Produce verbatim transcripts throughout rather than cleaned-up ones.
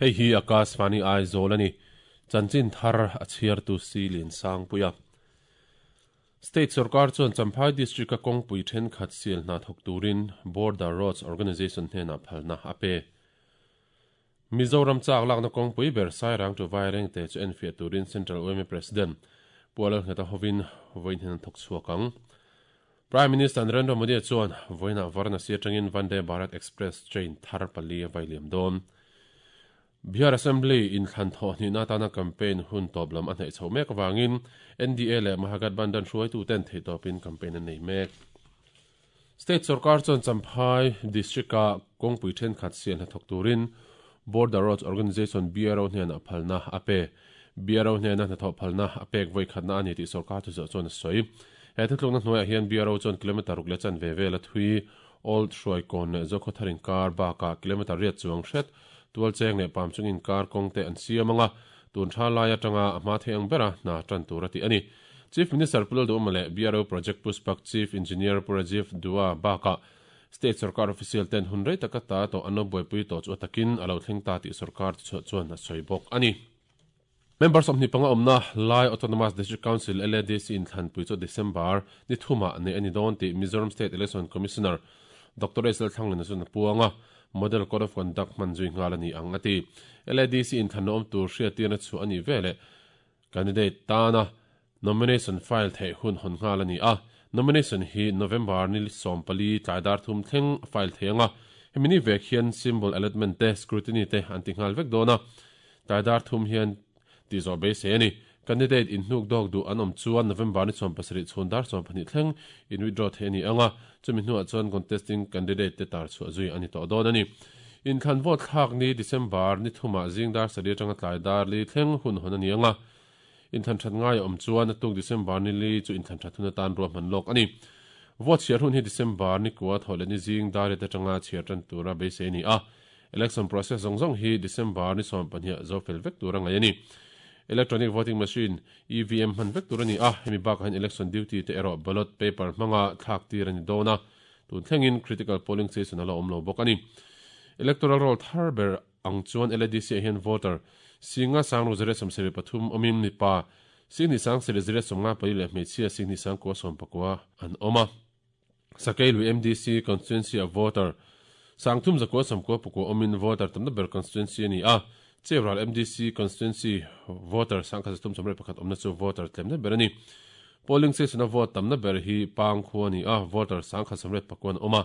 Hei hi Akashvani Aizawl ani. Chanchin thar a chhiar tu si lin sang puia. State Sarkar chuan Champhai District a kawngpui thenkhat sial hna thawk turin Border Roads Organisation hnenah phalna a pe. Mizoram chak lakna kawngpui ber Sairang to Vairengte chu enfiah turin Central U M A President Pu Lalngheta hovin vawiin hian an thawk chhuak ang. Prime Minister Narendra Modi chuan vawiinah Varanasi atangin Vande Bharat Express train thar pali a vailiam dawn. Bihar Assembly in thlan thaw hnihna atana campaign hun tawp lam a hnaih chho mek awangin N D A leh Mahagathbandhan hruaitu ten thei tawpin campaign an nei mek. State Sarkar chuan Champhai District-a kawngpui thenkhat sial hna thawk turin Border Roads Organisation B R O hnenah phalna a pe. B R O hnena hna thawh phalna a pek vawi khatna a ni tih sarkar chu zawh chuan a sawi. He thutlukna hnuaiah hian B R O chuan kilometer ruk leh chan ve vel a thui Old Hruai Kawn leh Zokhawthar inkar bakah kilometer riat chuang hret tual cheng leh pam chungin kar kawng te an siam anga tun tha lai atanga a hma thei ang bera hna tan tur a ti ani. Chief Minister Pu Lalduhoma leh B R O Project Pushpak Chief Engineer Pu Rajiv Dua bakah State Sarkar official ten hun rei taka ta to an lo buaipui tawh chu atakin a lo thleng ta tih sarkar chu chhuah chuan a sawi bawk ani. Members of Nipanga Omna Lai Autonomous District Council L A D C in Thlanpui chu December ni thuma nei ani dawn tih Mizoram State Election Commissioner Doctor S L Thanglena chuan a puanga Model Code of Conduct hman zui nghal ani ang ati. L A D C in thlan awm tur hriatirna chu ani vele candidate tana nomination file thei hun hon nghal ani a. Nomination hi November ni som pali tlaidar thum thleng file thei anga hemini vek hian symbol allotment te scrutiny te an ti nghal vek dona tlaidar thum hian ti zo be se ani. Candidate in hnuk dog du an awm chuan November ni som pasarih chhun dar som pahnih thleng in withdraw thei ani anga chumi hnuah chuan contesting candidate te tar chhuah zui ani tawh dawn ani. In thlan vote thlak ni December ni thuma zing dar sarih atanga tlaidar li thleng hun hon ani anga in thlan that ngai awm chuan a tuk December ni li chu in thlan that hun atan ruah hman lawk ani. Vote chhiar hun hi December ni kua thaw leh ni zing dar te atanga chhiar tan tura beisei ani a. Election process zawng zawng hi December ni sawm pahnih zo fel vek tur a ngai ani. Electronic voting machine E V M hman vek tur ani a. Hemi bakah hian election duty te erawh ballot paper hmanga thlak tir ani dawn a. Tun thlengin critical polling station a la awm lo bawk ani. Electoral roll thar ber ang chuan L A D C ah hian voter singa sang ru zere sawm sarih pathum awmin mipa singni sang sarih zere sawmnga pali leh hmeichhia singni sang kua sawm pakua an awm a. Sakei lui M D C constituency a voter sang thum zakua sawmkua pakua awmin voter tamna ber constituency ani a. Chevral M D C constituency voter sangkhat thum sawmriat pakhat awmna chu voter tlemna ber ani. Polling station a vote tamna ber hi pang khu ani a. Voter sangkhat sawmriat pakuan awm a.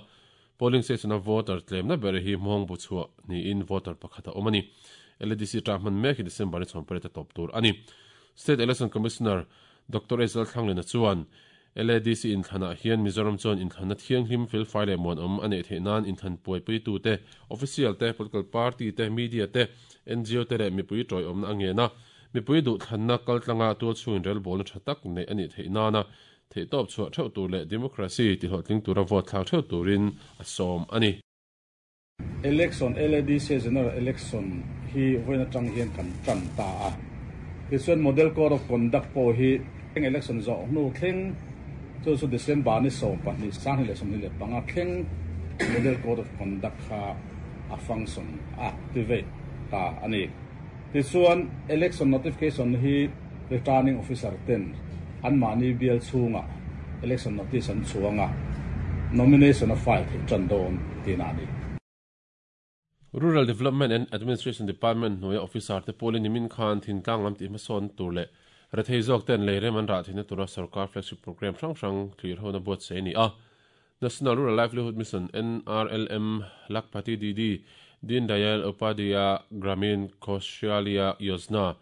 Polling station a voter tlemna ber hi hmawng bu chhuah niin voter pakhat a awm ani. L A D C tah hman mek hi December ni chhawm pariat a tawp tur ani. State Election Commissioner Doctor S L Thanglena chuan L A D C in thlanah hian Mizoram chuan inthlanna thianghlim fel fai leh muan awm a neih theih nan inthlan puaipui tu te official te political party te media te N G O te leh mipui tawi awmna a ngena mipui duh thlanna kaltlanga tual chhungin rel bawlna tha tak neih ani theih nana thei tawp chhuah theuh tur leh democracy ti hlawhtling tura vote thlak theuh turin a sawm ani. Election L A D C general election hi vawiin atang hian kan tan ta a. Tichuan model code of conduct pawh hi election zawh hnu thleng chu chu December ni sawm pahnih sang leh sawmhnih leh panga thleng model code of conduct kha a function activate ta ani. Tichuan election notification hi returning officer ten an mahni bial chhunga election notice an chhuanga nomination a file thei tan dawn tin ani. Rural Development and Administration Department hnuaia officer te pawlin nimin khan thingtlang lam tih hmasawn tur leh rethei zawk ten leirem an rah theihna tura sarkar flagship program hrang hrang thlir hona buat se ani a. National Rural Livelihood Mission N R L M Lakhpati D D Deen Dayal Upadhyaya Gramin Kaushalya Yojana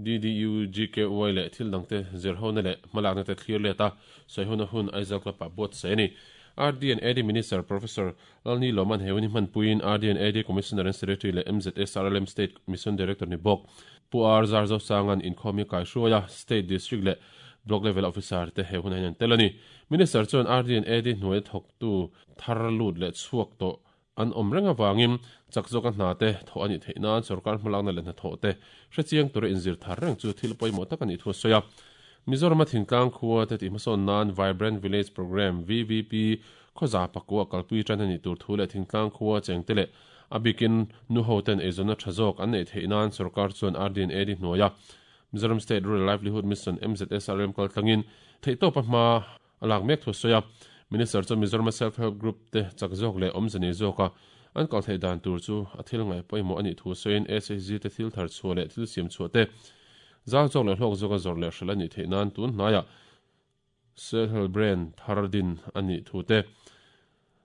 D D U G K Y leh thil dangte zir hona leh hmalakna te thlir leta sawi hona hun Aizawl Club ah buat se ani. R D and A D Minister Professor Lalni Loman Hewini Hmanpuiin R D and A D Commissioner and Secretary leh M Z S R L M State Mission Director ni bawk Pu R Zarzo Sangan inkhawmi kaihruaia State District leh Block Level Officer te he hun a hian tel ani. Minister chuan R D and A D hnuai thawk tu thar lut leh chhuak tawh an awm reng awangin chak zawk a hna te thaw ani theih nan sarkar hmalakna leh hna thawh te hrechiang tura inzir thar reng chu thil pawimawh tak ani thu a sawi a. Mizoram a thingtlang khua te tih hmasawn nan Vibrant Village Program V V P khawza pakua kalpui tan ani tur thu leh thingtlang khua cheng te leh Abikin nu hoten ezona thazok an nei theinan sarkar chuan R D N A di hnuaia Mizoram State Rural Livelihood Mission M Z S R M kal tlangin theitawp a hma alak mek thu soya Minister chu Mizoram Self Help Group te chakzok le omzani zoka an kal thei dan tur chu a thil ngai pawimawh ani thu soin S H G te thil thar chhuah leh thil siam chhuah te zau zawk leh hlawk zawka zawr leh hrel ani theih nan tun hnaia Self Help Brand thardin ani thu te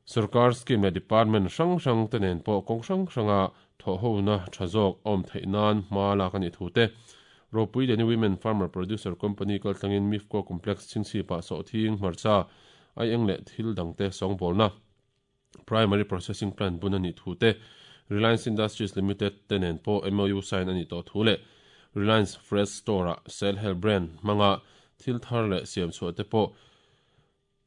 sarkar scheme le department hrang hrang te nen pawh kawng hrang hranga thaw ho na tha zawk awm theih nan hma lak ani thu te Ropui Leni Women Farmer Producer Company kal tlangin Mifco Complex chingchi pa so thing hmarcha ai eng le thil dangte sawngbawl na Primary Processing Plant bun ani thu te Reliance Industries Limited te nen pawh M O U sign ani tawh thu le Reliance Fresh Store a Self Help Brand hmanga thil thar leh siam chhuah te pawh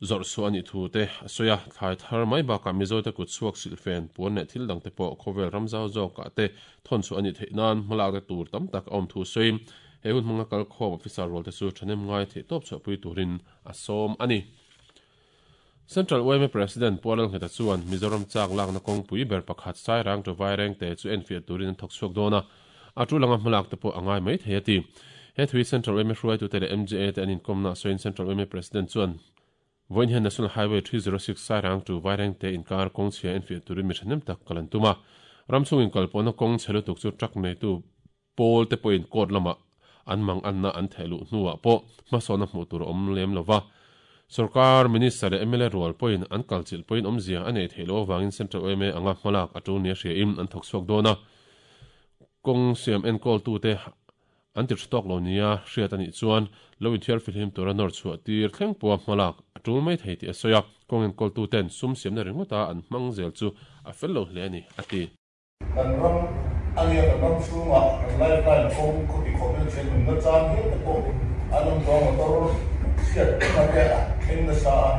zawrh chhuah ani thu te a sawi a thlai thar mai bakah Mizo te kut chhuak silhfen puan leh thil dangte pawh khawvel ramzau zawkah te thawn chhuah ani theih nan hmalak te tur tam tak a awm thu sawiin he hun hmanga kal khawm officer rual te chu thahnem ngai theih tawp chhuahpui turin a sawm ani. Central U M A President Pualal Ngheta chuan Mizoram chak lakna kawngpui ber pakhat Sairang to Vaireng te chu enfiah turin an thawk chhuak dawn a a tu langa hmalak te pawh a ngai mai thei a ti. He thui Central U M A hruaitu te leh M J A te an inkawmna sawiin Central U M A President chuan Voin hian National Highway three zero six Sairang to Vaireng te inkar kawng chhia enfiah turin mi thahnem tak kalan tuma ramchhung inkalpawhna kawng chhe lutuk chu truck neitu pawl te pawhin court lamah an mang anna an thehluh hnuah pawh hmasawna hmuh tur a awm lem lova sarkar minister leh M L A rual pawhin an kalchilh pawhin awmzia a nei theih loh avangin Central U M A anga hmalak a tu nia hria in an thawk chhuak dawn a kawng siam enkawl tu te an ti tawk lo nia hriat ani chuan lo inthiar filhim tura nawr chhuah tir thleng pawha hmalak a tul mai thei tih a sawi a kawng enkawl tu ten sum siamna ringawta an hmang zel chu a fel lo hle ani a ti. Kan ram ania kan ram chhungah kan lifeline kawng khawti khawpin then nunna chang hial te pawh an awm tawng motor chhiat na te a thleng nasa a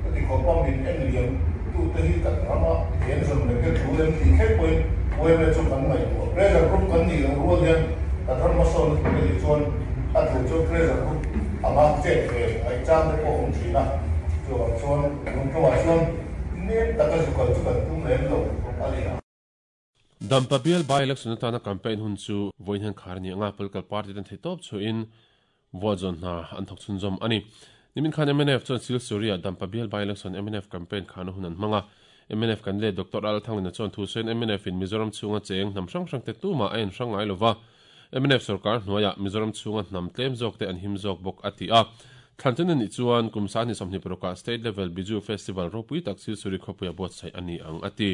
khawti khawpa min en liam tu te hi kan rama hian zawm leh te thu lem tih thleng pawhin U M A chu kan ngaihtuah pressure group kan nih loh rual hian kan ram hmasawn na tur ani chuan a tur chu pressure group anga chet ve ngaih chang te pawh awm thin a chuan chuan lungtawah chuan nem taka zukal chu kan tum lem lo ani a. Dampa bial by election atana campaign hun chu voin hian khar ni anga political party ten thei tawp chuin vote zawn hna an thawk chhun zawm ani. Nimin khan M N F chuan Sil Surya Dampa bial by election M N F campaign khana hun an hmanga M N F kan le Doctor Al Thanglina chuan thu sawiin M N F in Mizoram chhunga cheng hnam hrang hrang te tuma a in hrang ngai lova M N F sarkar hnuaia Mizoram chhunga hnam tlem zawk te an him zawk bawk a ti a. Thlan ani chuan kumsa ni sawmhnih parukah state level Biju Festival ropui tak Sil Suri khawpuia buatsaih ani ang a ti.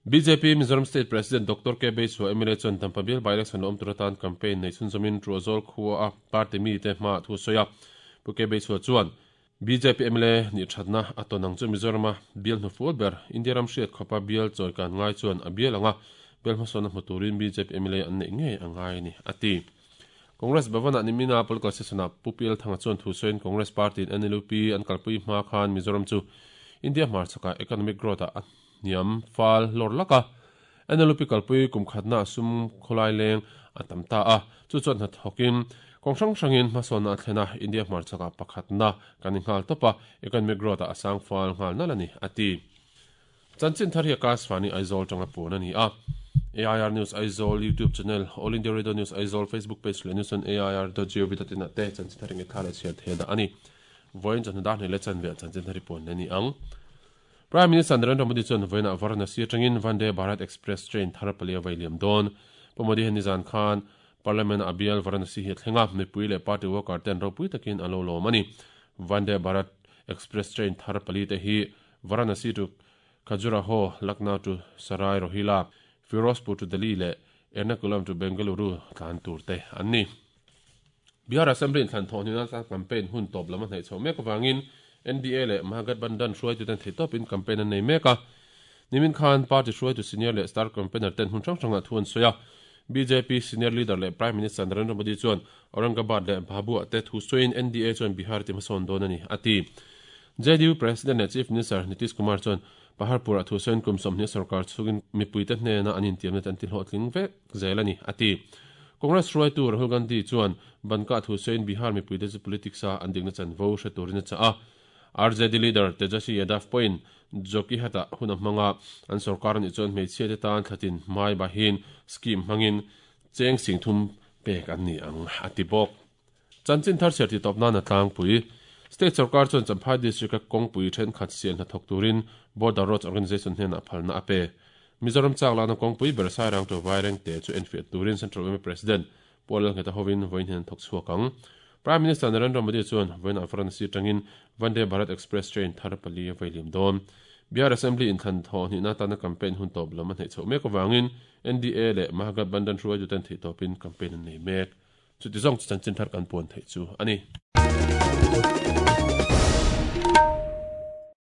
B J P Mizoram State President Doctor K Beisua M L A chuan Dampa bial by election awm turatan campaign nei chhun zawmin Truazol khua a party mi te hma thu sawi a Pu K Beisua chuan B J P M L A ni thatna a tonang chu Mizorama bial hnufual ber India ram hriat khawpa bial chawi kan ngai chuan a bial anga bial hmasawna hmu turin B J P M L A an neih ngei a ngai ni a ti. Congress Bhavana nimina political session a Pu Pial Thanga chuan thu sawiin Congress Party in N L U P an kalpui hma khan Mizoram chu India hmar chaka economic growth a niam fal lor laka N L U P kalpui kum khatna sum kholai leng a tam ta a chu chuan hna thawkin kawng hrang hrangin hmasawna a thlena India hmar chaka pakhatna kan inghal tawpa economic growth a asang fal nghal nal ani a ti. Chanchin thar hi Akashvani Aizawl tanga pawn ani a. A I R News Aizawl YouTube channel All India Radio News Aizawl Facebook page leh news on A I R dot gov dot in te chanchin thar nge thar chhiar the da ani. Voin chan da hnele chan ve chanchin thar pawn ani ang. Prime Minister Narendra Modi chuan voina Varanasi atangin Vande Bharat Express train thar palia vailiam dawn. Pu Modi hian nizan khan Parliament abial Varanasi hi thlenga mipui leh party worker ten ropui takin an lo lawm ani. Vande Bharat Express train thar pali te hi Varanasi to Khajuraho, Lucknow to Sarai Rohilla, Firozpur to Delhi leh Ernakulam to Bengaluru tlan tur te an ni. Bihar Assembly in thlan thawh nina campaign hun tawp lam a hnaih chho mek awangin N D A leh Mahagathbandhan hruaitu ten thei tawpin campaign an nei mek a. Nimin khan party hruaitu senior leh star campaigner ten hun hrang hrangah thu an sawi a. B J P senior leader leh Prime Minister Narendra Modi chuan Aurangabad leh Bhabua te thu sawiin N D A chuan Bihar ti hmasawn dawn ani a ti. J D U President leh Chief Minister Nitish Kumar chuan Paharpur a thu sawiin kum sawmhnih sarkar chhungin mipui te hnena an intiamna te an ti hlawhtling vek zel ani a ti. Congress hruaitu Rahul Gandhi chuan banka thu sawiin Bihar mipui te chu politics a an dikna chanvo hre turin a chah a. R J D leader Tejasvi Yadav pawhin Jokihata hun a hmanga an sorkar ni chuan hmeichhia te tan thlatin hmai bahin scheme hmangin cheng sing thum pek an ni ang a ti bawk. Chanchin thar chhiar ti tawp nan a tlangpui. State sarkar chuan Champhai district a kawngpui thenkhat sial hna thawk turin Border Roads Organisation hnenah phalna a pe. Mizoram chak lana kawngpui ber Sairang to Vaireng te chu enfiah turin Central Y M A President Paul Lalngheta hovin vawiin hian thawk chhuak ang. Prime Minister Narendra Modi chuan vawiin ah Varanasi atangin Vande Bharat Express train thar pali a vailiam dawn. Bihar Assembly inthlan thaw hnihna tana campaign hun tawp lam a hneih chhoh mek avangin N D A leh Mahagathbandhan hruaituten theih tawpin campaign an nei mek. Chuti zawng chu chanchin thar kan puan theih chu a ni.